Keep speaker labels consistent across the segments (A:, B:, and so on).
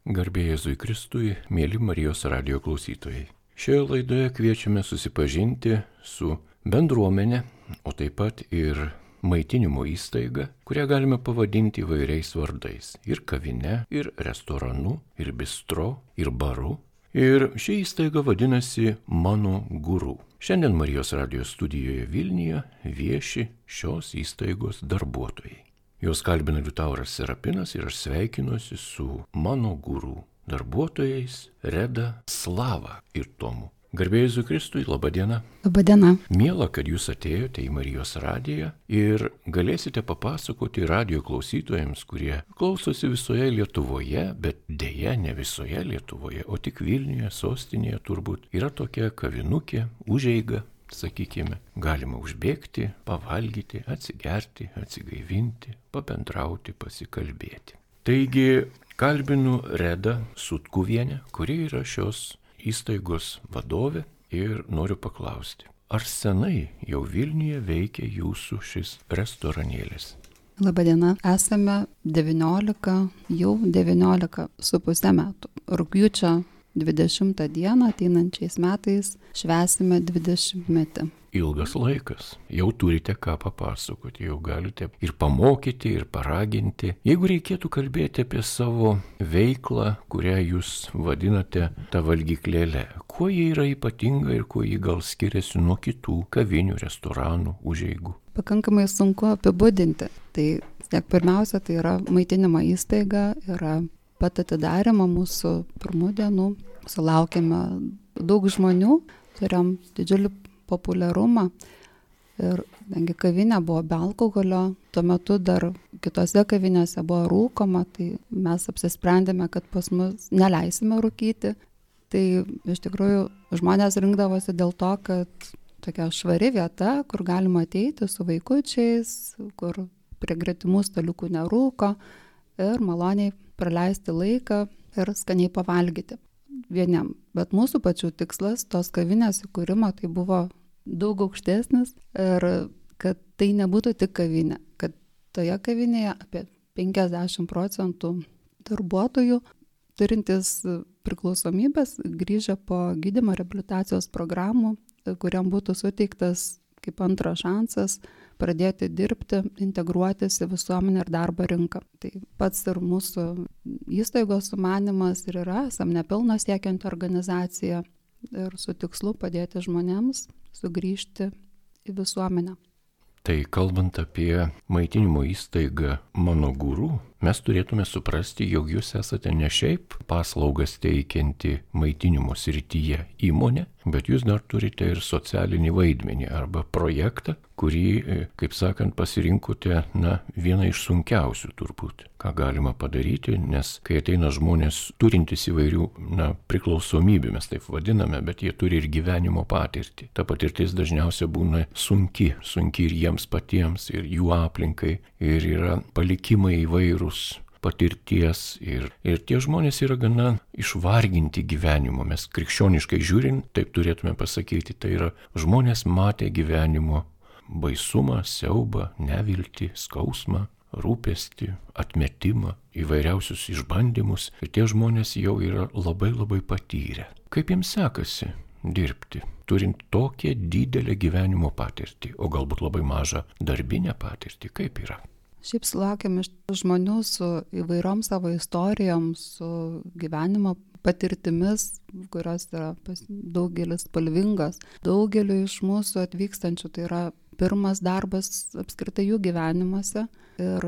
A: Garbė Jėzui Kristui, mėly Marijos radijo klausytojai. Šioje laidoje kviečiame susipažinti su bendruomenė, o taip pat ir maitinimo įstaiga, kurią galime pavadinti įvairiais vardais. Ir kavine, ir restoranu, ir bistro, ir baru. Ir ši įstaiga vadinasi Mano Guru. Šiandien Marijos radijo studijoje Vilniuje vieši šios įstaigos darbuotojai. Juos kalbina Liutauras Serapinas ir aš sveikinuosi su Mano Guru darbuotojais Reda, Slava ir Tomu. Garbė Jėzui Kristui, laba diena.
B: Labą dieną.
A: Miela, kad jūs atėjote į Marijos radiją ir galėsite papasakoti radijo klausytojams, kurie klausosi visoje Lietuvoje, bet dėja ne visoje Lietuvoje, o tik Vilniuje, sostinėje turbūt yra tokia kavinukė, užeiga. Sakykime, galima užbėgti, pavalgyti, atsigerti, atsigaivinti, pabendrauti, pasikalbėti. Taigi, kalbinu Redą Sutkuvienę, kuri yra šios įstaigos vadovė ir noriu paklausti, ar senai jau Vilniuje veikia jūsų šis restoranėlis?
B: Labadiena, esame 19,5 metų. Rugpjūčio 20 dieną ateinančiais metais švęsime 20-metį.
A: Ilgas laikas. Jau turite ką papasakoti, jau galite ir pamokyti, ir paraginti. Jeigu reikėtų kalbėti apie savo veiklą, kurią jūs vadinate tą valgyklėlę, kuo ji yra ypatinga ir kuo ji gal skiriasi nuo kitų kavinių, restoranų, užeigų?
B: Pakankamai sunku apibūdinti. Tai pirmiausia, tai yra maitinimo įstaiga, yra pat atidarimo mūsų pirmų dienų. Sulaukėme daug žmonių, turėjom didžiulį populiarumą ir kadangi kavinė buvo be alkoholio, tuo metu dar kitose kavinėse buvo rūkoma, tai mes apsisprendėme, kad pas mus neleisime rūkyti. Tai iš tikrųjų žmonės rinkdavosi dėl to, kad tokia švari vieta, kur galima ateiti su vaikučiais, kur prie gretimų staliukų nerūko ir maloniai praleisti laiką ir skaniai pavalgyti vieniem. Bet mūsų pačių tikslas tos kavinės įkūrimo tai buvo daug aukštesnis ir kad tai nebūtų tik kavinė, kad toje kavinėje apie 50% darbuotojų turintys priklausomybės grįžę po gydymo reabilitacijos programų, kuriam būtų suteiktas kaip antras šansas pradėti dirbti, integruotis į visuomenę ir darbo rinką. Tai pats ir mūsų įstaigos sumanymas ir yra, esam nepelno siekianti organizacija ir su tikslu padėti žmonėms sugrįžti į visuomenę.
A: Tai kalbant apie maitinimo įstaigą Mano Guru, mes turėtume suprasti, jog jūs esate ne šiaip paslaugas teikianti maitinimo srityje įmonė, bet jūs dar turite ir socialinį vaidmenį arba projektą, kurį, kaip sakant, pasirinkote, vieną iš sunkiausių turbūt, ką galima padaryti, nes kai ateina žmonės turintys įvairių, priklausomybių, mes taip vadiname, bet jie turi ir gyvenimo patirtį. Ta patirtis dažniausiai būna sunki ir jiems patiems, ir jų aplinkai, ir yra palikimai įvairūs patirties ir tie žmonės yra gana išvarginti gyvenimo. Mes krikščioniškai žiūrint, taip turėtume pasakyti, tai yra žmonės matė gyvenimo baisumą, siaubą, neviltį, skausmą, rūpestį, atmetimą, įvairiausius išbandymus ir tie žmonės jau yra labai labai patyrę. Kaip jiems sekasi dirbti, turint tokią didelę gyvenimo patirtį, o galbūt labai mažą darbinę patirtį, kaip yra?
B: Šiaip sulaukėm iš žmonių su įvairiom savo istorijom, su gyvenimo patirtimis, kurios yra daugelis spalvingos. Daugeliu iš mūsų atvykstančių tai yra pirmas darbas apskritai jų gyvenimuose ir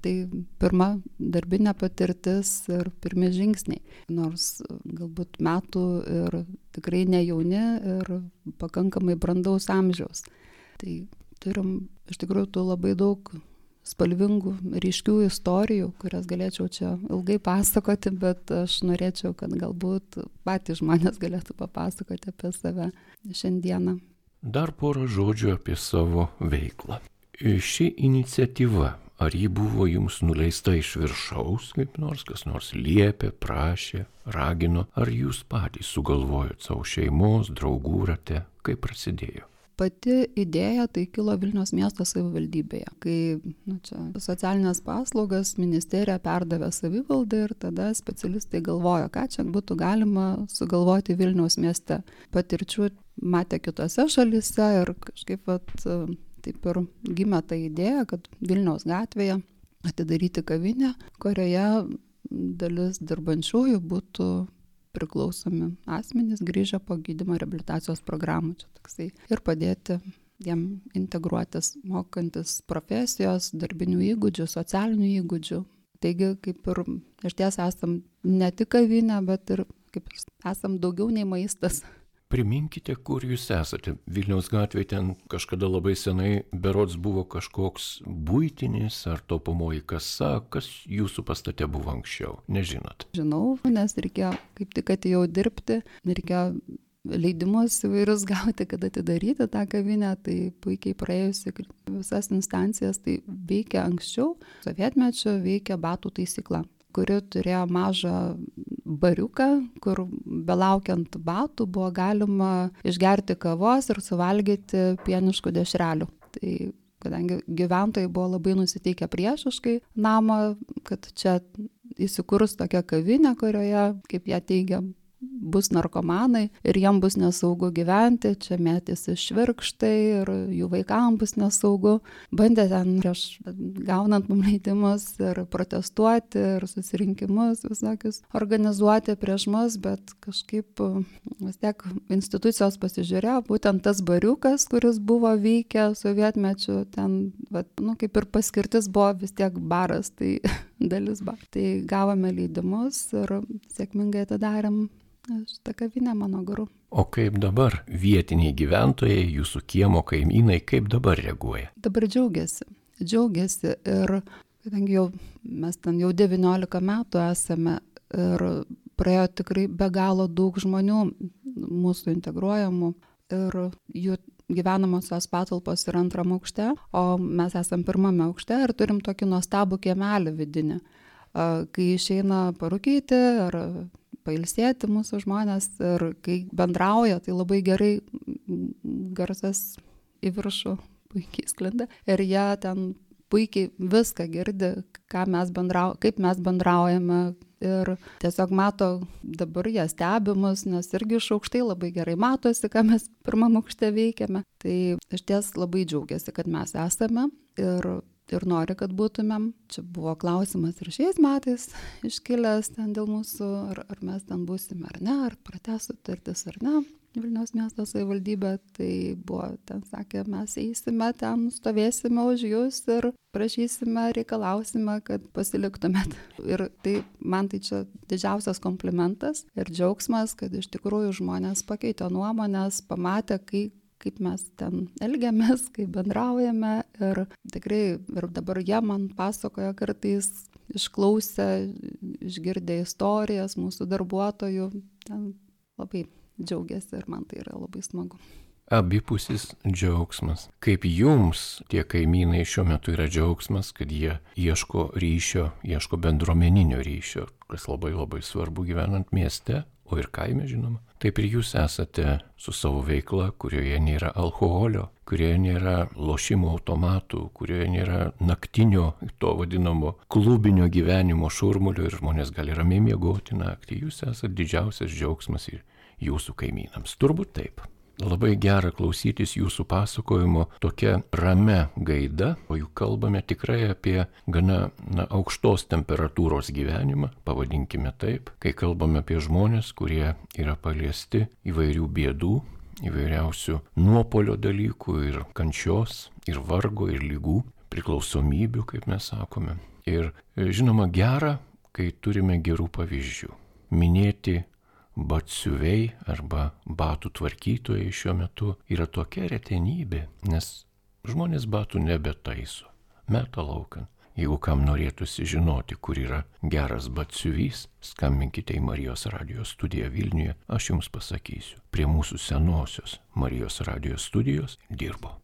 B: tai pirma darbinė patirtis ir pirmi žingsniai. Nors galbūt metų ir tikrai ne jauni ir pakankamai brandaus amžiaus. Tai turim iš tikrųjų tų labai daug spalvingų, ryškių istorijų, kurias galėčiau čia ilgai pasakoti, bet aš norėčiau, kad galbūt patys žmonės galėtų papasakoti apie save šiandieną.
A: Dar porą žodžių apie savo veiklą. Ši iniciatyva, ar ji buvo jums nuleista iš viršaus, kaip nors, kas nors liepė, prašė, ragino, ar jūs patys sugalvojot savo šeimos, draugų rate, kaip prasidėjo?
B: pati idėja tai kilo Vilniaus miesto savivaldybėje, kai čia socialinės paslaugas ministerija perdavė savivaldai ir tada specialistai galvojo, ką čia būtų galima sugalvoti Vilniaus mieste. Patirčių matė kitose šalyse ir kažkaip taip ir gimė ta idėja, kad Vilniaus gatvėje atidaryti kavinę, kurioje dalis dirbančiųjų būtų priklausomi asmenys grįžę po gydymo reabilitacijos programų. Čia toksai. Ir padėti jiem integruotis, mokantis profesijos, darbinių įgūdžių, socialinių įgūdžių. Taigi, kaip ir išties esam ne tik kavinė, bet ir kaip esam daugiau nei maistas.
A: Priminkite, kur jūs esate. Vilniaus gatvėje ten kažkada labai senai berods buvo kažkoks buitinis ar taupomoji kasa, kas jūsų pastate buvo anksčiau, nežinot?
B: Žinau, nes reikėjo kaip tik atėjau dirbti, reikėjo leidimus įvairius gauti, kad atidaryti tą kavinę, tai puikiai praėjusi visas instancijas, tai veikia anksčiau, sovietmečiu veikia batų taisykla, kuri turėjo mažą bariuką, kur belaukiant batų buvo galima išgerti kavos ir suvalgyti pieniškų dešrelių. Tai kadangi gyventojai buvo labai nusiteikę priešiškai namą, kad čia įsikurs tokia kavinė, kurioje, kaip jie teigia, bus narkomanai ir jiem bus nesaugu gyventi, čia mėtėsi švirkštai ir jų vaikams bus nesaugu. Bandė ten prieš gaunant mum leidimus ir protestuoti ir susirinkimus visokius organizuoti prieš mus, bet kažkaip vis tiek institucijos pasižiūrėjo, būtent tas bariukas, kuris buvo veikę sovietmečiu, ten, kaip ir paskirtis buvo vis tiek baras, tai dalis bar. Tai gavome leidimus ir sėkmingai atidarėm šitą kavinę Mano guru.
A: O kaip dabar vietiniai gyventojai, jūsų kiemo kaimynai, kaip dabar reaguoja?
B: Dabar džiaugiasi ir kadangi mes ten jau 19 metų esame ir praėjo tikrai be galo daug žmonių mūsų integruojamų ir jų gyvenamosios patalpos yra 2 aukšte, o mes esam 1 aukšte ir turim tokį nuostabų kiemelį vidinį. Kai išeina parūkyti ar pailsėti mūsų žmonės ir kai bendrauja, tai labai gerai garsas į viršų puikiai sklinda ir jie ten puikiai viską girdi, kaip mes bendraujame ir tiesiog mato, dabar jie stebimus, nes irgi iš aukštai labai gerai matosi, ką mes 1 aukšte veikiame. Tai iš ties labai džiaugiasi, kad mes esame ir nori, kad būtumėm. Čia buvo klausimas ir šiais metais iškilęs ten dėl mūsų, ar mes ten būsime ar ne, ar pratęs sutartis ar ne. Vilniaus miesto savivaldybė, tai buvo, ten sakė, mes eisime ten, stovėsime už jūs ir prašysime, reikalausime, kad pasiliktumėt. Ir tai man tai čia didžiausias komplimentas ir džiaugsmas, kad iš tikrųjų žmonės pakeitė nuomonės, pamatė, kaip mes ten elgiamės, kaip bendraujame ir tikrai ir dabar jie man pasakoja kartais išklausę, išgirdę istorijas mūsų darbuotojų, ten labai džiaugiasi ir man tai yra labai smagu.
A: Abipusis džiaugsmas. Kaip jums tie kaimynai šiuo metu yra džiaugsmas, kad jie ieško ryšio, ieško bendruomeninio ryšio, kas labai labai svarbu gyvenant mieste, o ir kaime žinoma. Taip ir jūs esate su savo veikla, kurioje nėra alkoholio, kurioje nėra lošimo automatų, kurioje nėra naktinio, to vadinamo klubinio gyvenimo šurmulio ir žmonės gali ramiai miegoti naktį. Jūs esate didžiausias džiaugsmas ir jūsų kaimynams. Turbūt taip. Labai gera klausytis jūsų pasakojimo tokia ramia gaida, o juk kalbame tikrai apie gana aukštos temperatūros gyvenimą, pavadinkime taip, kai kalbame apie žmonės, kurie yra paliesti įvairių bėdų, įvairiausių nuopolio dalykų ir kančios, ir vargo, ir lygų, priklausomybių, kaip mes sakome. Ir žinoma gera, kai turime gerų pavyzdžių. Minėti batsiuviai arba batų tvarkytojai šiuo metu yra tokia retenybė, nes žmonės batų nebetaiso, meta laukan. Jeigu kam norėtųsi žinoti, kur yra geras batsiuvys, skambinkite į Marijos radijos studiją Vilniuje, aš jums pasakysiu. Prie mūsų senosios Marijos radijos studijos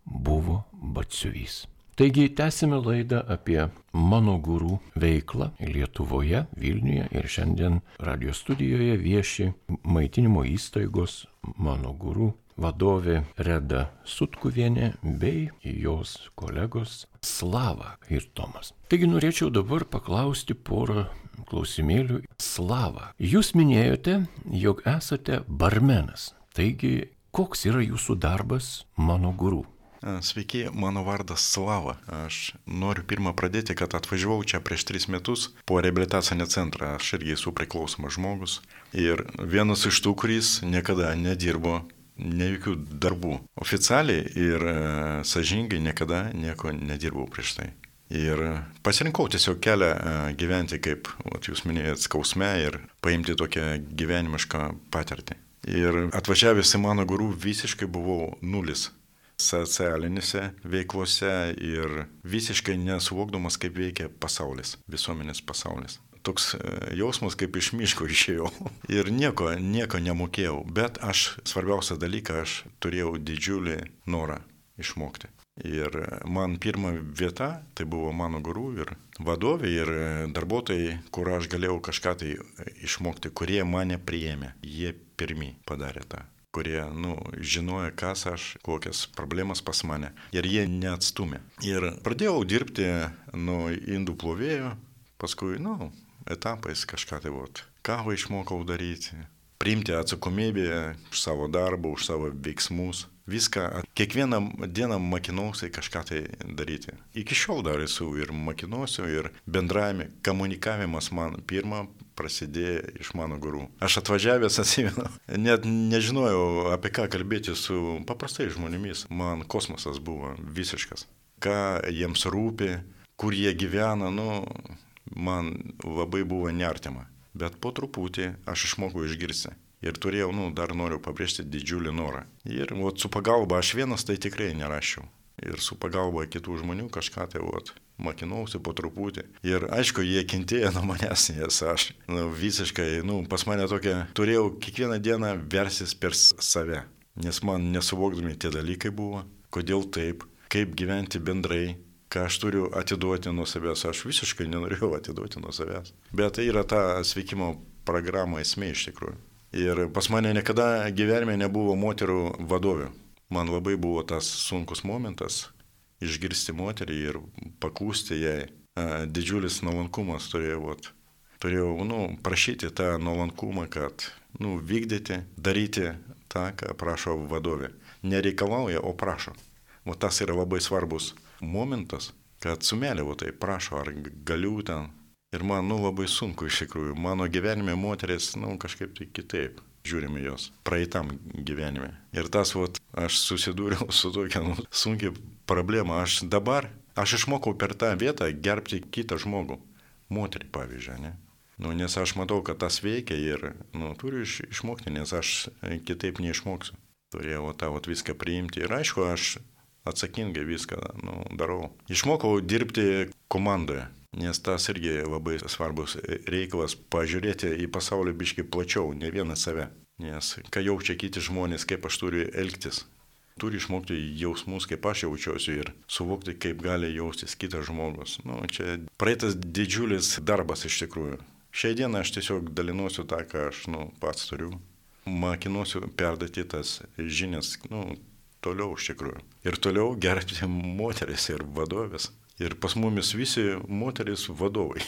A: buvo batsiuvys. Taigi tęsime laidą apie mano guru veiklą Lietuvoje, Vilniuje ir šiandien radio studijoje vieši maitinimo įstaigos mano guru vadovė Reda Sutkuvienė bei jos kolegos Slava ir Tomas. Taigi norėčiau dabar paklausti porą klausimėlių. Slava, jūs minėjote, jog esate barmenas. Taigi, koks yra jūsų darbas mano guru?
C: Sveiki, mano vardas Slava. Aš noriu pirmą pradėti, kad atvažiavau čia prieš 3 metus po reabilitacinį centrą. Aš irgi esu priklausomas žmogus. Ir vienas iš tų, kuris niekada nedirbo ne jokių darbų. Oficialiai ir sąžiningai niekada nieko nedirbau prieš tai. Ir pasirinkau tiesiog kelią gyventi, kaip jūs minėjot, skausme ir paimti tokią gyvenimišką patirtį. Ir atvažiavęs į mano guru visiškai buvau nulis socialinėse veiklose ir visiškai nesuvokdamas, kaip veikia pasaulis, visuomenės pasaulis. Toks jausmas, kaip iš miško išėjau ir nieko nemokėjau, bet svarbiausią dalyką, aš turėjau didžiulį norą išmokti. Ir man pirma vieta, tai buvo mano guru ir vadovė ir darbuotojai, kur aš galėjau kažką tai išmokti, kurie mane priėmė. Jie pirmi padarė tą, kurie, žinojo, kas aš, kokias problemas pas mane. Ir jie neatstumė. Ir pradėjau dirbti nuo indų plovėjo, paskui, etapais kažką tai kavą išmokau daryti, priimti atsakomybę už savo darbą, už savo veiksmus. Viską, kiekvieną dieną mokinausi kažką tai daryti. Iki šiol dar esu ir mokinuosiu, ir bendravime, komunikavimas man pirmą prasidėjo iš mano guru. Aš atvažiavęs atsimenu, net nežinojau, apie ką kalbėti su paprastai žmonėmis. Man kosmosas buvo visiškas. Ką jiems rūpi, kur jie gyvena, man labai buvo neartima. Bet po truputį aš išmokau išgirsti. Ir turėjau, dar noriu pabrėžti, didžiulį norą. Ir su pagalba aš vienas tai tikrai nerašiau. Ir su pagalba kitų žmonių kažką tai mokinausi po truputį. Ir aišku, jie kentėjo nuo manęs, nes aš visiškai, pas mane tokia, turėjau kiekvieną dieną versis per save. Nes man nesuvokdami tie dalykai buvo, kodėl taip, kaip gyventi bendrai, ką aš turiu atiduoti nuo savęs. Aš visiškai nenorėjau atiduoti nuo savęs. Bet tai yra ta sveikimo programa esmė iš tikrųjų. Ir pas mane niekada gyvenime nebuvo moterų vadovių. Man labai buvo tas sunkus momentas išgirsti moterį ir paklusti jai. Didžiulis nuolankumas turėjau. Turėjau prašyti tą nuolankumą, kad vykdyti, daryti tą, ką prašo vadovė. Nereikalauja, o prašo. Tas yra labai svarbus momentas, kad su meile tai prašo, ar galiu ten. Ir man labai sunku iš tikrųjų. Mano gyvenime moteris kažkaip tai kitaip žiūrime jos praeitam gyvenime. Ir tas aš susidūriau su tokia sunkia problema. Aš išmokau per tą vietą gerbti kitą žmogų. Moterį, pavyzdžiui, ne? Nes aš matau, kad tas veikia ir turiu išmokti, nes aš kitaip neišmoksiu. Turėjau tą viską priimti. Ir aišku, aš atsakingai viską darau. Išmokau dirbti komandoje. Nes tas irgi labai svarbus reikalas pažiūrėti į pasaulį biškai plačiau, ne vieną save. Nes ką jaučia kiti žmonės, kaip aš turiu elgtis. Turi išmokti jausmus, kaip aš jaučiuosi ir suvokti, kaip gali jaustis kitas žmogus. Čia praeitas didžiulis darbas iš tikrųjų. Šiai dieną aš tiesiog dalinuosiu tą, ką aš pats turiu. Mokinuosiu perduoti tas žinias toliau iš tikrųjų. Ir toliau gerbti moteris ir vadovės. Ir pas mumis visi moteris vadovai.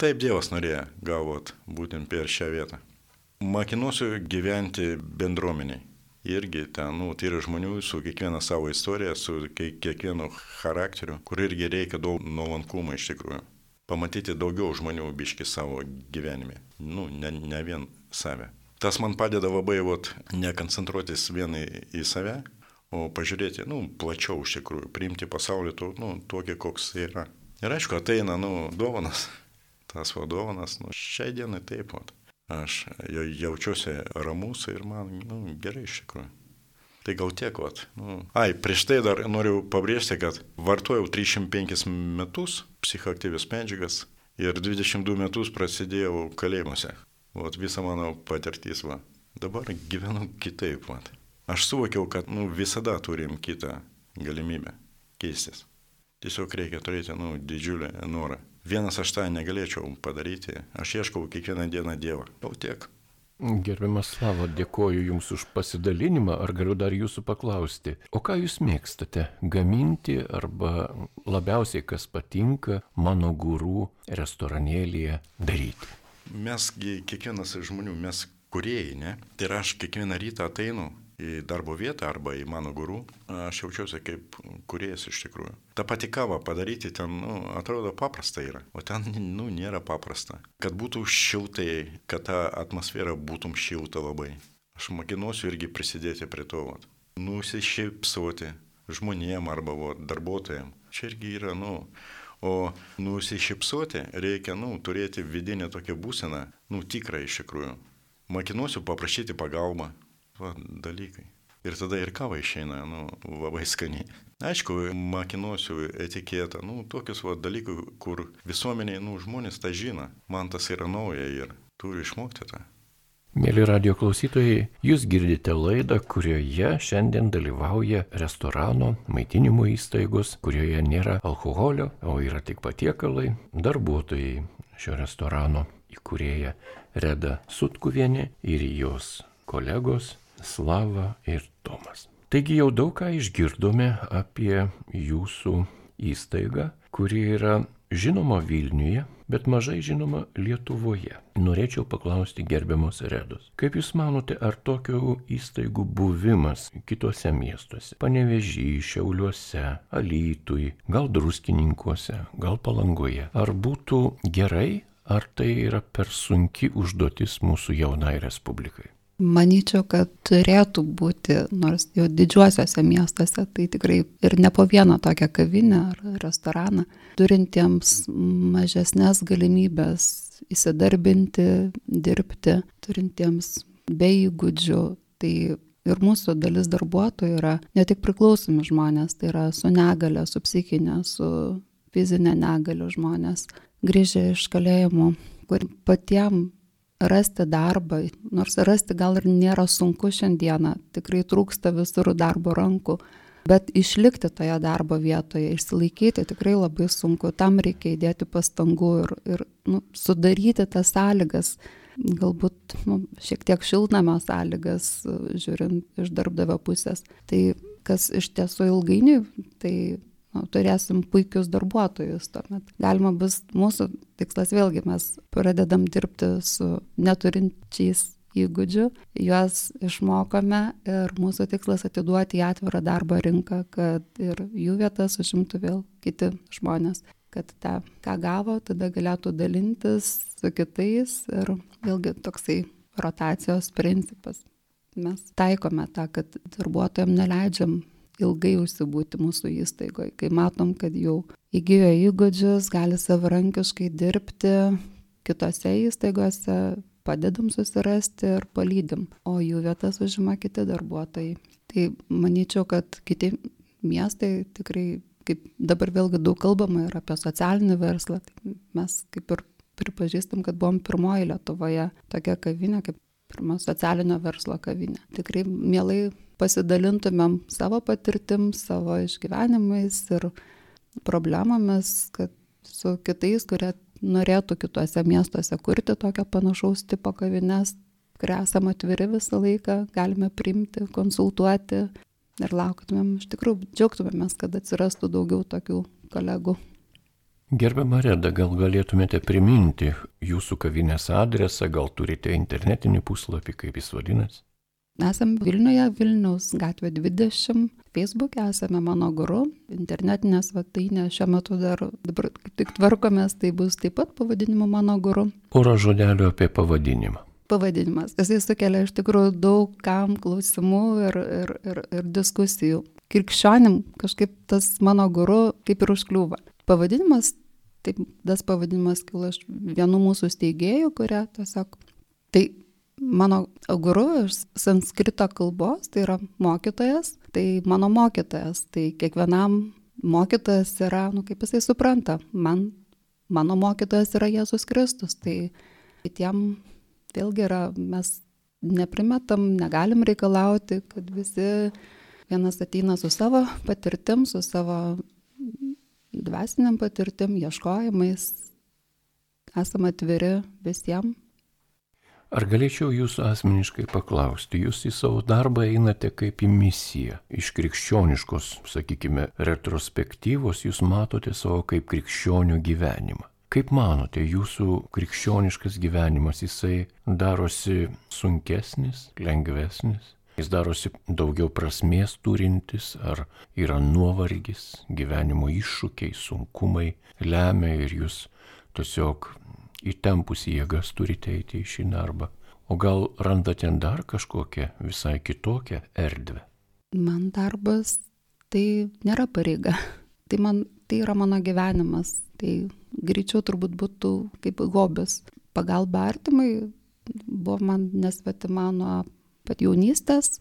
C: Taip Dievas norėjo gavot būtent per šią vietą. Mokinuosiu gyventi bendruomeniai. Irgi ten, tai yra žmonių su kiekviena savo istorija, su kiekvienu charakteriu, kur irgi reikia daug nuolankumo iš tikrųjų. Pamatyti daugiau žmonių biški savo gyvenime. Ne vien save. Tas man padeda labai nekoncentruotis vien į save, o pažiūrėti, plačiau iš tikrųjų, priimti pasaulį tokį, koks yra. Ir aišku, ateina, dovanas, tas dovanas, šiai dienai taip, aš jaučiuosi ramus ir man, gerai iš tikrųjų. Tai gal tiek, prieš tai dar noriu pabrėžti, kad vartojau 305 metus psichoaktyvias medžiagas ir 22 metus prasidėjau kalėjimuose. Visa mano patirtis, Dabar gyvenu kitaip, Aš suvokiau, kad visada turim kitą galimybę keistis. Tiesiog reikia turėti, didžiulį norą. Vienas aš tą negalėčiau padaryti, aš ieškau kiekvieną dieną Dievą. Jau tiek.
A: Gerbiamas Slava, dėkoju Jums už pasidalinimą. Ar galiu dar Jūsų paklausti, o ką Jūs mėgstate gaminti arba labiausiai kas patinka Mano Guru restoranėlyje daryti?
C: Mesgi kiekvienas iš žmonių, mes kūrėjai, ne? Tai aš kiekvieną rytą ateinu į darbo vietą arba į Mano Guru, aš jaučiuosi kaip kūrėjas iš tikrųjų. Ta pati kava padaryti ten, atrodo paprasta yra, o ten, nėra paprasta. Kad būtų šiltai, kad ta atmosfera būtum šilta labai. Aš mokinuosiu irgi prisidėti prie to, nusišypsoti žmonėm arba darbuotojam. Čia irgi yra, o nusišypsoti reikia, turėti vidinę tokią būseną, tikrą iš tikrųjų. Mokinuosiu paprašyti pagalbą. Dalykai. Ir tada ir kava išeina, labai skaniai. Aišku, mokinuosiu etiketą, tokius dalykų, kur visuomeniai, žmonės tą žino. Man tas yra nauja ir turiu išmokti tą.
A: Mėly radio klausytojai, jūs girdite laidą, kurioje šiandien dalyvauja restorano, maitinimo įstaigos, kurioje nėra alkoholio, o yra tik patiekalai, darbuotojai šio restorano įkūrėja Reda Sutkuvienė ir jos kolegos Slava ir Tomas. Taigi jau daug ką išgirdome apie jūsų įstaigą, kuri yra žinoma Vilniuje, bet mažai žinoma Lietuvoje. Norėčiau paklausti gerbiamos Redos. Kaip Jūs manote, ar tokių įstaigų buvimas kitose miestuose, Panevėžy, Šiauliuose, Alytuj, gal Druskininkuose, gal Palangoje, ar būtų gerai, ar tai yra per sunki užduotis mūsų jaunai Respublikai?
B: Manyčiau, kad turėtų būti, nors jau didžiuosiuose miestuose, tai tikrai ir ne po vieną tokią kavinę ar restoraną, turintiems mažesnės galimybės įsidarbinti, dirbti, turintiems be įgūdžių. Tai ir mūsų dalis darbuotojų yra ne tik priklausomi žmonės, tai yra su negale, su psichinė, su fizinė negalių žmonės, grįžę iš kalėjimų, kur patiem rasti darbą, nors rasti gal ir nėra sunku šiandieną, tikrai trūksta visur darbo rankų, bet išlikti toje darbo vietoje, išsilaikyti tikrai labai sunku, tam reikia įdėti pastangų ir sudaryti tas sąlygas, galbūt šiek tiek šiltnamio sąlygas, žiūrint iš darbdavio pusės. Tai kas iš tiesų ilgainiui, tai turėsim puikius darbuotojus. Tuomet galima bus, mūsų tikslas vėlgi, mes pradedam dirbti su neturinčiais įgūdžių, juos išmokome ir mūsų tikslas atiduoti į atvirą darbo rinką, kad ir jų vietas užimtų vėl kiti žmonės, kad tą, ką gavo, tada galėtų dalintis su kitais ir vėlgi toksai rotacijos principas. Mes taikome tą, kad darbuotojams neleidžiam ilgai užsibūti mūsų įstaigoje, kai matom, kad jau įgijo įgūdžius, gali savarankiškai dirbti kitose įstaigose, padedam susirasti ir palydim, o jų vietas užima kiti darbuotojai. Tai manyčiau, kad kiti miestai tikrai, kaip dabar vėlgi daug kalbama ir apie socialinį verslą, tai mes kaip ir pripažįstam, kad buvom pirmoji Lietuvoje tokia kavinė, kaip pirma socialinio verslo kavinė. Tikrai mielai pasidalintumėm savo patirtim, savo išgyvenimais ir problemomis, kad su kitais, kurie norėtų kituose miestuose kurti tokio panašaus tipo kavines, kurie esame atviri visą laiką, galime priimti, konsultuoti ir lauktumėm, iš tikrųjų džiaugtumėmės, kad atsirastų daugiau tokių kolegų.
A: Gerbiama Reda, gal galėtumėte priminti jūsų kavinės adresą, gal turite internetinį puslapį, kaip jis vadinasi?
B: Esame Vilniuje, Vilniaus gatvė 20, Facebook'e esame Mano Guru, internetinė svetainė šiuo metu dabar tik tvarkomės, tai bus taip pat pavadinimu Mano Guru.
A: Porą žodelių apie pavadinimą.
B: Pavadinimas, jisai sukelia iš tikrųjų daug kam klausimų ir diskusijų. Krikščionim kažkaip tas Mano Guru kaip ir užkliūva. Pavadinimas, taip, tas pavadinimas kilo iš vienų mūsų steigėjų, kurie tiesiog, tai Mano Guru iš sanskrito kalbos, tai yra mokytojas, tai mano mokytojas, tai kiekvienam mokytojas yra, kaip jisai supranta, mano mokytojas yra Jėzus Kristus, tai tiem vėlgi yra, mes neprimetam, negalim reikalauti, kad visi vienas ateina su savo patirtim, su savo dvasiniam patirtim, ieškojimais, esame atviri visiems.
A: Ar galėčiau jūsų asmeniškai paklausti, jūs į savo darbą einate kaip į misiją, iš krikščioniškos, sakykime, retrospektyvos jūs matote savo kaip krikščionių gyvenimą. Kaip manote, jūsų krikščioniškas gyvenimas, jisai darosi sunkesnis, lengvesnis, jis darosi daugiau prasmės turintis, ar yra nuovargis, gyvenimo iššūkiai, sunkumai lemia ir jūs tiesiog įtempus jėgas turite eiti į šį darbą. O gal randate dar kažkokią visai kitokią erdvę?
B: Man darbas tai nėra pareiga. Tai yra mano gyvenimas. Tai greičiau turbūt būtų kaip hobis. Pagalba artimai buvo man nesvetima nuo pat jaunystės.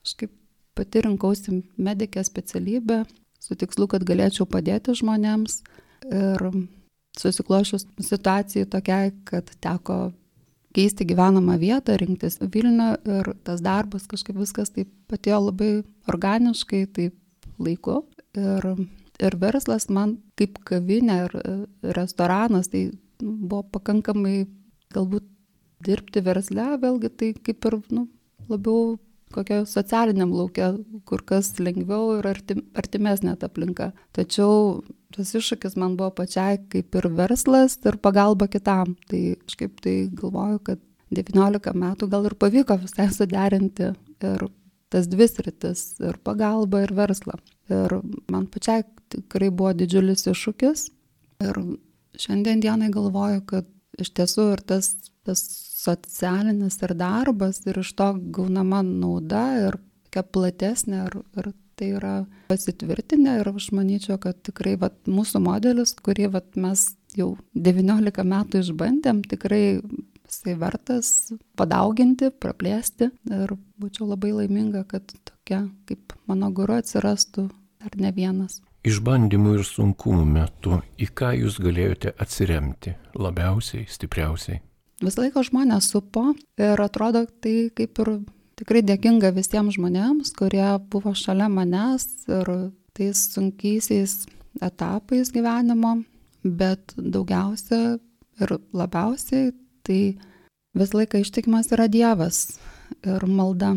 B: Aš kaip pati rinkausi medikės specialybę su tikslu, kad galėčiau padėti žmonėms. Ir susiklošius situacijai tokiai, kad teko keisti gyvenamą vietą, rinktis Vilnių ir tas darbas kažkaip viskas taip atėjo labai organiškai, taip laiku. Ir verslas man kaip kavinė ir restoranas, tai buvo pakankamai galbūt dirbti versle, vėlgi tai kaip ir labiau kokio socialiniam lauke, kur kas lengviau ir artimesnė ta aplinka. Tačiau tas iššūkis man buvo pačiai kaip ir verslas ir pagalba kitam. Tai aš kaip tai galvoju, kad 19 metų gal ir pavyko visai suderinti ir tas dvi sritis, ir pagalba, ir verslą. Ir man pačiai tikrai buvo didžiulis iššūkis. Ir šiandien dienai galvoju, kad iš tiesų ir tas socialinis ir darbas ir iš to gaunama nauda ir tokia platesnė ir tai yra pasitvirtinę ir aš manyčiau, kad tikrai mūsų modelis, kurį mes jau 19 metų išbandėm, tikrai jisai vertas padauginti, praplėsti ir būčiau labai laiminga, kad tokia kaip mano guru atsirastų dar ne vienas.
A: Išbandymų ir sunkumų metu, į ką jūs galėjote atsiremti labiausiai, stipriausiai?
B: Visą laiką žmonės supo ir atrodo tai kaip ir tikrai dėkinga visiems žmonėms, kurie buvo šalia manęs ir tais sunkiaisiais etapais gyvenimo, bet daugiausia ir labiausiai tai visą laiką ištikimas yra Dievas ir malda,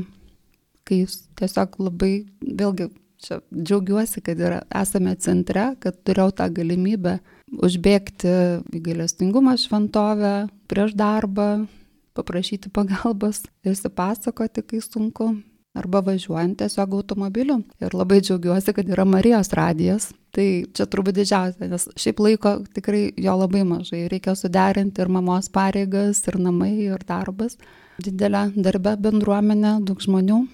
B: kai jūs tiesiog labai, vėlgi čia džiaugiuosi, kad esame centre, kad turėjau tą galimybę užbėgti į gailestingumo šventovę prieš darbą, paprašyti pagalbos, išsipasakoti, kai sunku, arba važiuojant tiesiog automobiliu. Ir labai džiaugiuosi, kad yra Marijos radijas. Tai čia turbūt didžiausia, nes šiaip laiko tikrai jo labai mažai. Reikia suderinti ir mamos pareigas, ir namai, ir darbas. Didelė darbe bendruomenė, daug žmonių.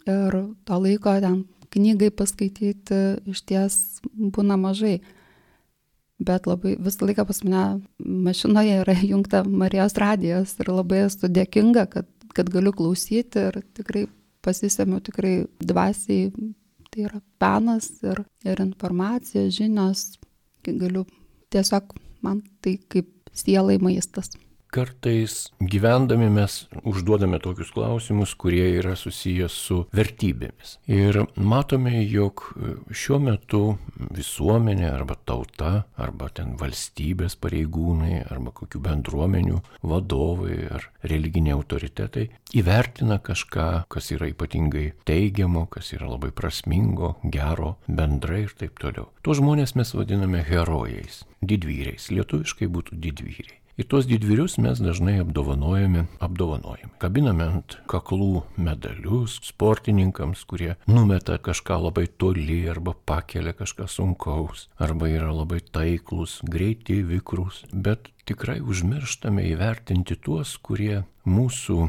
B: Ir to laiko ten knygai paskaityti iš ties būna mažai. Bet labai visą laiką pas mane mašinoje yra įjungta Marijos radijas ir labai esu dėkinga, kad galiu klausyti ir tikrai pasisemiu tikrai dvasiai, tai yra penas ir informacija, žinios, galiu tiesiog man tai kaip sielai maistas.
A: Kartais gyvendami mes užduodame tokius klausimus, kurie yra susijęs su vertybėmis. Ir matome, jog šiuo metu visuomenė arba tauta, arba ten valstybės pareigūnai, arba kokių bendruomenių vadovai ar religiniai autoritetai įvertina kažką, kas yra ypatingai teigiamo, kas yra labai prasmingo, gero, bendrai ir taip toliau. Tuos žmonės mes vadiname herojais, didvyriais. Lietuviškai būtų didvyriai. Ir tuos didvyrius mes dažnai apdovanojame. Kabiname ant kaklų medalius sportininkams, kurie numeta kažką labai toli arba pakelia kažką sunkaus, arba yra labai taiklus, greiti, vikrus. Bet tikrai užmirštame įvertinti tuos, kurie mūsų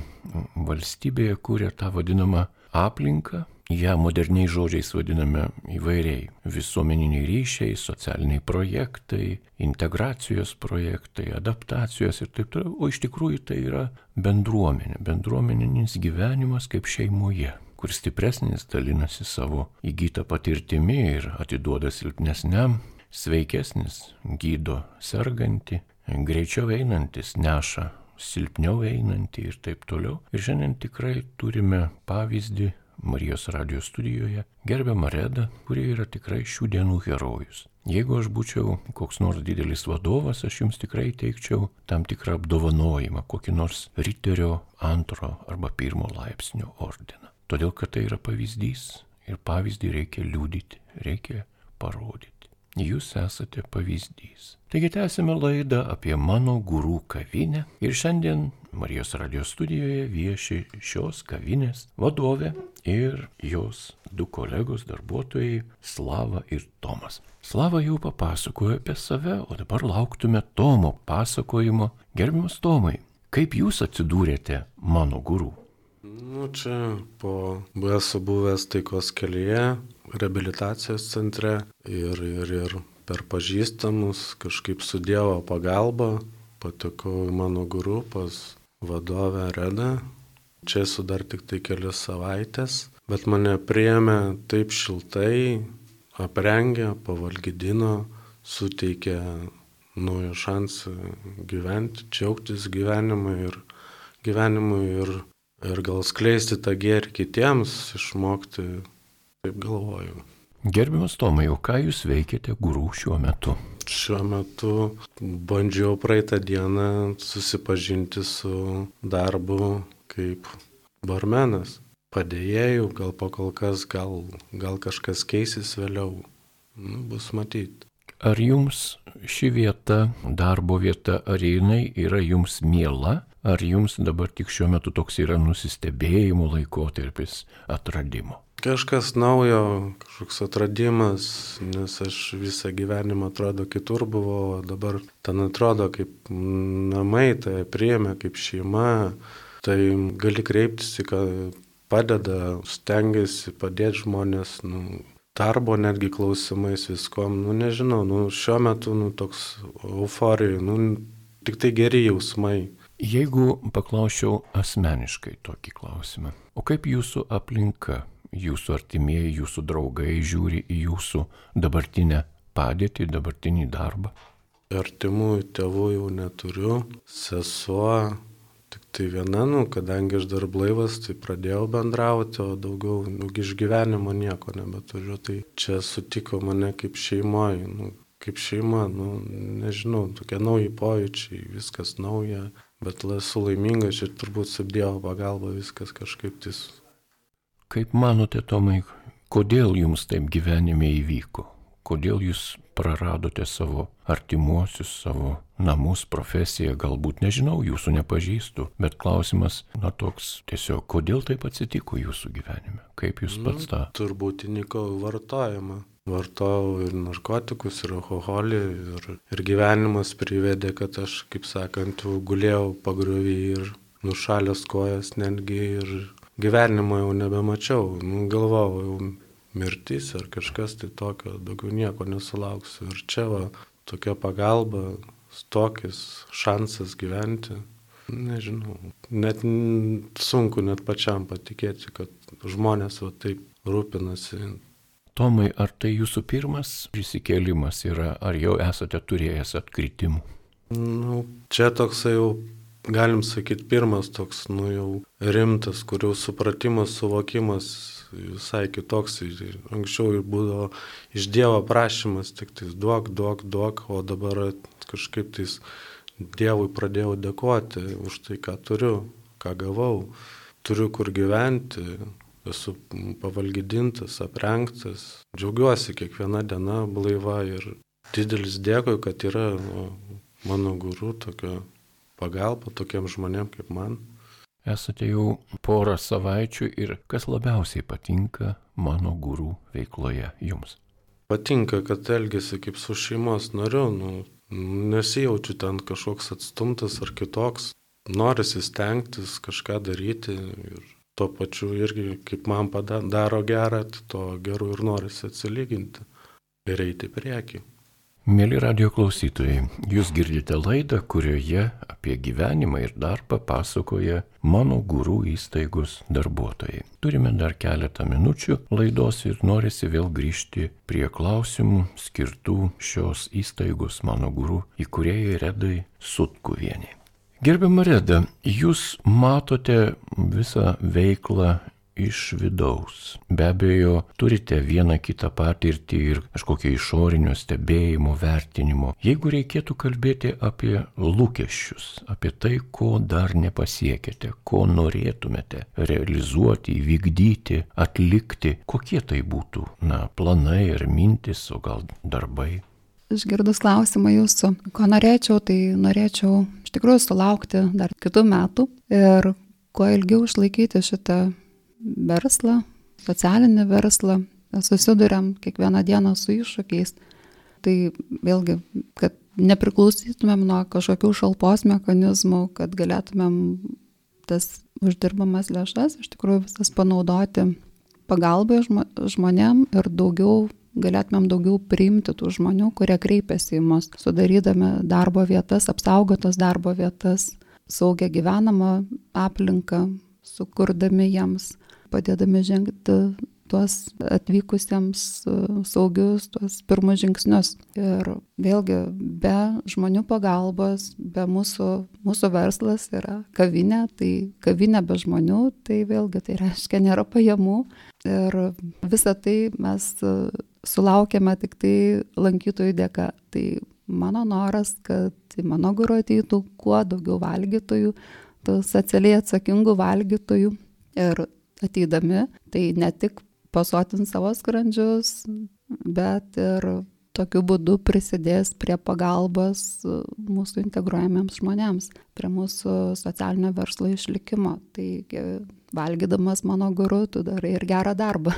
A: valstybėje kuria tą vadinamą aplinką. Ja moderniais žodžiais vadiname įvairiai visuomeniniai ryšiai, socialiniai projektai, integracijos projektai, adaptacijos ir taip toliau. O iš tikrųjų tai yra bendruomenė, bendruomeninis gyvenimas kaip šeimoje, kur stipresnis dalinasi savo įgytą patirtimi ir atiduoda silpnesniam, sveikesnis gydo sergantį, greičiau einantis neša silpniau einantį ir taip toliau. Ir šiandien tikrai turime pavyzdį Marijos radijos studijoje gerbiamą Redą, kurie yra tikrai šių dienų herojus. Jeigu aš būčiau koks nors didelis vadovas, aš jums tikrai teikčiau tam tikrą apdovanojimą, kokį nors riterio 2 arba 1 laipsnio ordiną. Todėl, kad tai yra pavyzdys ir pavyzdį reikia liudyti, reikia parodyti. Jūs esate pavyzdys. Taigi tęsime laidą apie Mano Guru kavinę ir šiandien Marijos radio studijoje vieši šios kavinės vadovė ir jos 2 kolegos darbuotojai Slava ir Tomas. Slava jau papasakojo apie save, o dabar lauktume Tomo pasakojimo. Gerbiamas Tomai, kaip jūs atsidūrėte Mano Guru?
D: Čia esu buvęs taikos kelyje, reabilitacijos centre ir per pažįstamus kažkaip su Dievo pagalba patekau į Mano Guru pas vadovę Redą. Čia esu dar tik tai kelias savaitės, bet mane priėmė taip šiltai, aprengė, pavalgydino, suteikė naują šansą gyventi, džiaugtis gyvenimu ir gal skleisti tą gėrį kitiems, išmokti, taip galvoju.
A: Gerbiamas Tomai, o ką jūs veikiate Guru šiuo metu?
D: Šiuo metu bandžiau praeitą dieną susipažinti su darbu kaip barmenas. Padėjėjų, gal pakol kas, gal kažkas keisis vėliau. Bus matyti.
A: Ar jums ši vieta, darbo vieta, ar jinai yra jums miela? Ar jums dabar tik šiuo metu toks yra nusistebėjimo laikotarpis, atradimo?
D: Kažkas naujo, kažkoks atradimas, nes aš visą gyvenimą atrodo kitur buvau, dabar ten atrodo kaip namai, tai priėmė kaip šeima, tai gali kreiptis, kad padeda, stengiasi padėti žmonės, darbo netgi klausimais viskom, nežinau, šiuo metu toks euforija, tik tai geri jausmai.
A: Jeigu paklausčiau asmeniškai tokį klausimą, o kaip jūsų aplinka, jūsų artimieji, jūsų draugai žiūri į jūsų dabartinę padėtį, dabartinį darbą?
D: Artimų tėvų jau neturiu, sesuo, tik tai viena, kadangi aš dar blaivas, tai pradėjau bendrauti, o daugiau iš gyvenimo nieko nebeturiu, tai čia sutiko mane kaip šeimoje, kaip šeima, nežinau, tokie nauji pojūčiai, viskas nauja, bet esu laimingas ir turbūt su Dievo pagalba viskas kažkaip tis.
A: Kaip manote, Tomai, kodėl jums taip gyvenime įvyko? Kodėl jūs praradote savo artimuosius, savo namus, profesiją, galbūt nežinau, jūsų nepažįstu, bet klausimas, toks tiesiog, kodėl taip atsitiko jūsų gyvenime? Kaip jūs pats tą?
D: Turbūt įnikau vartojimą. Vartojau ir narkotikus, ir alkoholį, ir gyvenimas privedė, kad aš, kaip sakant, gulėjau pagriuvį ir nušalęs kojas netgi ir gyvenimo jau nebemačiau. Galvojau, jau mirtis ar kažkas tai tokio, daugiau nieko nesulauksiu. Ir čia tokia pagalba, tokis šansas gyventi. Nežinau, net sunku net pačiam patikėti, kad žmonės taip rūpinasi.
A: Tomai, ar tai jūsų pirmas prisikėlimas yra, ar jau esate turėjęs atkritimų?
D: Čia toksai jau, galim sakyti, pirmas toks, jau rimtas, kur jau supratimas, suvokimas visai kitoks. Anksčiau būdavo iš Dievo prašymas, tik tais duok, o dabar kažkaip tais Dievui pradėjau dėkoti už tai, ką turiu, ką gavau. Turiu kur gyventi. Esu pavalgydintas, aprengtas, džiaugiuosi kiekviena diena blaiva ir didelis dėkui, kad yra Mano Guru tokia pagalba tokiems žmonėms kaip man.
A: Esate jau porą savaičių ir kas labiausiai patinka Mano Guru veikloje jums?
D: Patinka, kad elgiasi kaip su šeimos nariu, nesijaučiu ten kažkoks atstumtas ar kitoks, norisi stengtis kažką daryti ir tuo pačiu irgi, kaip man daro gerą, to geru ir norisi atsilyginti ir eiti priekį.
A: Mėly radio klausytojai, jūs girdite laidą, kurioje apie gyvenimą ir darbą pasakoja Mano Guru įstaigos darbuotojai. Turime dar keletą minučių laidos ir norisi vėl grįžti prie klausimų skirtų šios įstaigos Mano Guru įkūrėjai Redai Sutkuvienei. Gerbiama Reda, jūs matote visą veiklą iš vidaus. Be abejo, turite vieną kitą patirtį ir kažkokio išorinio stebėjimo, vertinimo. Jeigu reikėtų kalbėti apie lūkesčius, apie tai, ko dar nepasiekėte, ko norėtumėte realizuoti, įvykdyti, atlikti, kokie tai būtų, planai ar mintis, o gal darbai?
B: Išgirdus klausimą jūsų, ko norėčiau, tai norėčiau iš tikrųjų sulaukti dar kitų metų ir kuo ilgiau išlaikyti šitą verslą, socialinį verslą. Susiduriam kiekvieną dieną su iššūkiais. Tai vėlgi, kad nepriklausytumėm nuo kažkokių šalpos mechanizmų, kad galėtumėm tas uždirbamas lėšas iš tikrųjų visas panaudoti pagalbai žmonėm ir galėtumėm daugiau priimti tų žmonių, kurie kreipiasi į mus, sudarydami darbo vietas, apsaugotas darbo vietas, saugią gyvenamą aplinką, sukurdami jiems, padėdami žengti tuos atvykusiems saugius, tuos pirmus žingsnius. Ir vėlgi, be žmonių pagalbos, be mūsų verslas yra kavinė, tai kavinė be žmonių, tai vėlgi tai reiškia nėra pajamų. Ir visą tai mes sulaukėme tik tai lankytojų dėka. Tai mano noras, kad į mano guru ateitų kuo daugiau valgytojų, socialiai atsakingų valgytojų ir ateidami, tai ne tik pasotins savo skrandžius, bet ir tokiu būdu prisidės prie pagalbos mūsų integruojamiems žmonėms, prie mūsų socialinio verslo išlikimo. Tai valgydamas mano guru, tu darai ir gerą darbą.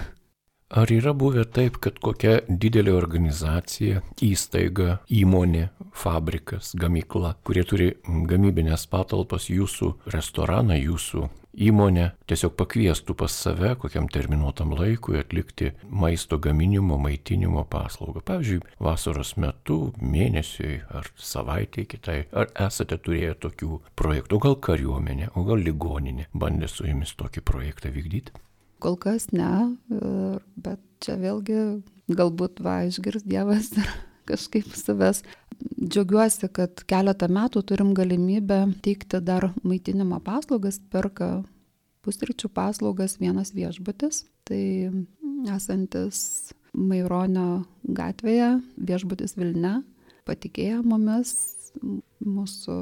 A: Ar yra buvę taip, kad kokia didelė organizacija, įstaiga, įmonė, fabrikas, gamykla, kurie turi gamybinės patalpas, jūsų restoraną, jūsų įmonę, tiesiog pakviestų pas save kokiam terminuotam laikui atlikti maisto gaminimo, maitinimo paslaugą? Pavyzdžiui, vasaros metu, mėnesiui ar savaitėj kitai. Ar esate turėję tokių projektų? O gal kariuomenė, o gal ligoninė bandė su jumis tokį projektą vykdyti?
B: Kol kas ne, bet čia vėlgi galbūt išgirs Dievas ir kažkaip savęs. Džiaugiuosi, kad keletą metų turim galimybę teikti dar maitinimo paslaugas, perka pusryčių paslaugas vienas viešbutis. Tai esantis Maironio gatvėje, viešbutis Vilnia, patikėjo mumis, mūsų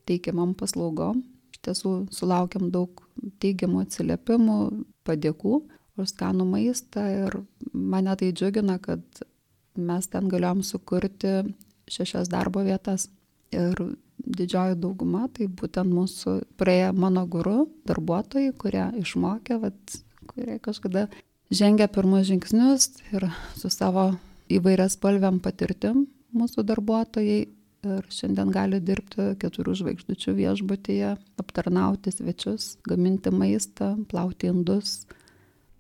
B: teikiamam paslaugom. Iš tiesų sulaukiam daug teigiamų atsiliepimų, padėkų už skanų maistą ir mane tai džiugina, kad mes ten galėjom sukurti 6 darbo vietas. Ir didžioji dauguma tai būtent mūsų praėję mano guru darbuotojai, kurie išmokė, kurie kažkada žengė pirmus žingsnius ir su savo įvairias spalviam patirtim mūsų darbuotojai. Ir šiandien gali dirbti 4 žvaigždučių viešbutyje, aptarnauti svečius, gaminti maistą, plauti indus.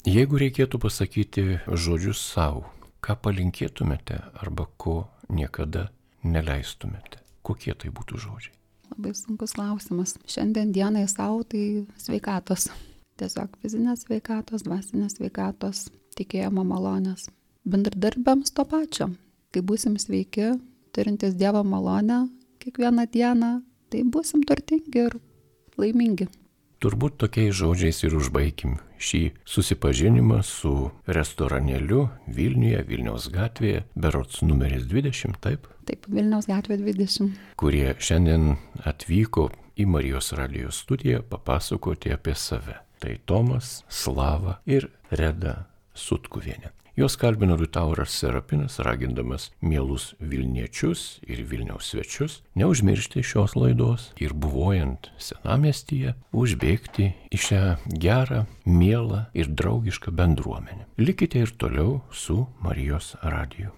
A: Jeigu reikėtų pasakyti žodžius savo, ką palinkėtumėte arba ko niekada neleistumėte, kokie tai būtų žodžiai?
B: Labai sunkus klausimas. Šiandien dienai savo tai sveikatos. Tiesiog fizinės sveikatos, dvasinės sveikatos, tikėjimo malonės. Bendradarbiams to pačio. Kai būsim sveiki, turintis Dievo malonę kiekvieną dieną, tai būsim turtingi ir laimingi.
A: Turbūt tokiais žodžiais ir užbaikim šį susipažinimą su restoranėliu Vilniuje, Vilniaus gatvėje, berods numeris 20, taip?
B: Taip, Vilniaus gatvė 20.
A: Kurie šiandien atvyko į Marijos radijos studiją papasakoti apie save. Tai Tomas, Slava ir Reda Sutkuvienė. Jos kalbino Liutauras Serapinas, ragindamas mielus Vilniečius ir Vilniaus svečius neužmiršti šios laidos ir buvojant senamiestyje užbėgti į šią gerą, mielą ir draugišką bendruomenę. Likite ir toliau su Marijos radiju.